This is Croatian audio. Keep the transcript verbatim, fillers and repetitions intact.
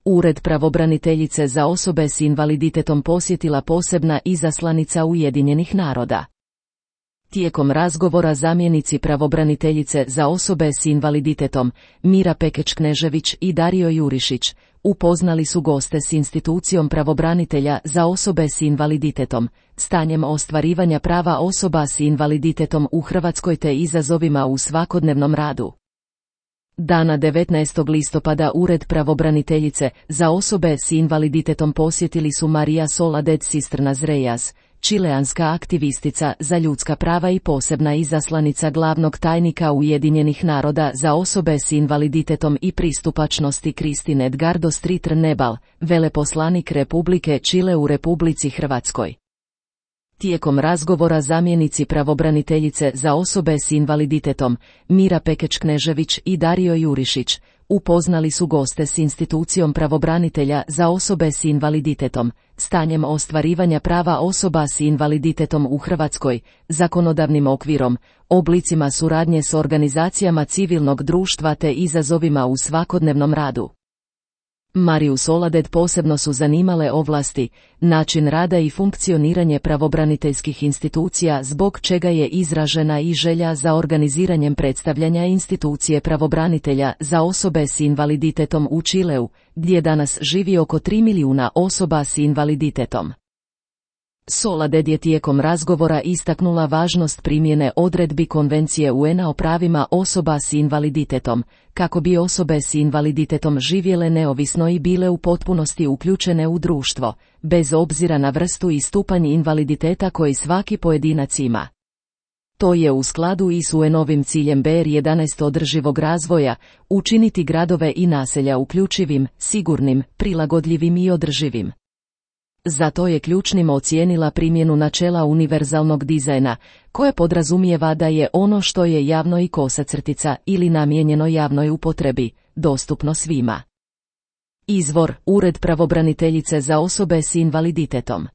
Ured pravobraniteljice za osobe s invaliditetom posjetila posebna izaslanica Ujedinjenih naroda. Tijekom razgovora zamjenici pravobraniteljice za osobe s invaliditetom, Mira Pekeč-Knežević i Dario Jurišić, upoznali su goste s institucijom pravobranitelja za osobe s invaliditetom, stanjem ostvarivanja prava osoba s invaliditetom u Hrvatskoj te izazovima u svakodnevnom radu. Dana devetnaestog listopada Ured pravobraniteljice za osobe s invaliditetom posjetili su Maria Soledad Cisternas Reyes, čileanska aktivistica za ljudska prava i posebna izaslanica glavnog tajnika Ujedinjenih naroda za osobe s invaliditetom i pristupačnosti Christine Edgardo Stritr-Nebal, veleposlanik Republike Čile u Republici Hrvatskoj. Tijekom razgovora zamjenici pravobraniteljice za osobe s invaliditetom, Mira Pekeč-Knežević i Dario Jurišić, upoznali su goste s institucijom pravobranitelja za osobe s invaliditetom, stanjem ostvarivanja prava osoba s invaliditetom u Hrvatskoj, zakonodavnim okvirom, oblicima suradnje s organizacijama civilnog društva te izazovima u svakodnevnom radu. Mariju Soledad posebno su zanimale ovlasti, način rada i funkcioniranje pravobraniteljskih institucija zbog čega je izražena i želja za organiziranjem predstavljanja institucije pravobranitelja za osobe s invaliditetom u Čileu, gdje danas živi oko tri milijuna osoba s invaliditetom. Soledad je tijekom razgovora istaknula važnost primjene odredbi Konvencije U N-a o pravima osoba s invaliditetom, kako bi osobe s invaliditetom živjele neovisno i bile u potpunosti uključene u društvo, bez obzira na vrstu i stupanj invaliditeta koji svaki pojedinac ima. To je u skladu i s U N-ovim ciljem B R jedanaest održivog razvoja, učiniti gradove i naselja uključivim, sigurnim, prilagodljivim i održivim. Zato je ključnim ocijenila primjenu načela univerzalnog dizajna, koje podrazumijeva da je ono što je javno i kosacrtica ili namijenjeno javnoj upotrebi, dostupno svima. Izvor: Ured pravobraniteljice za osobe s invaliditetom.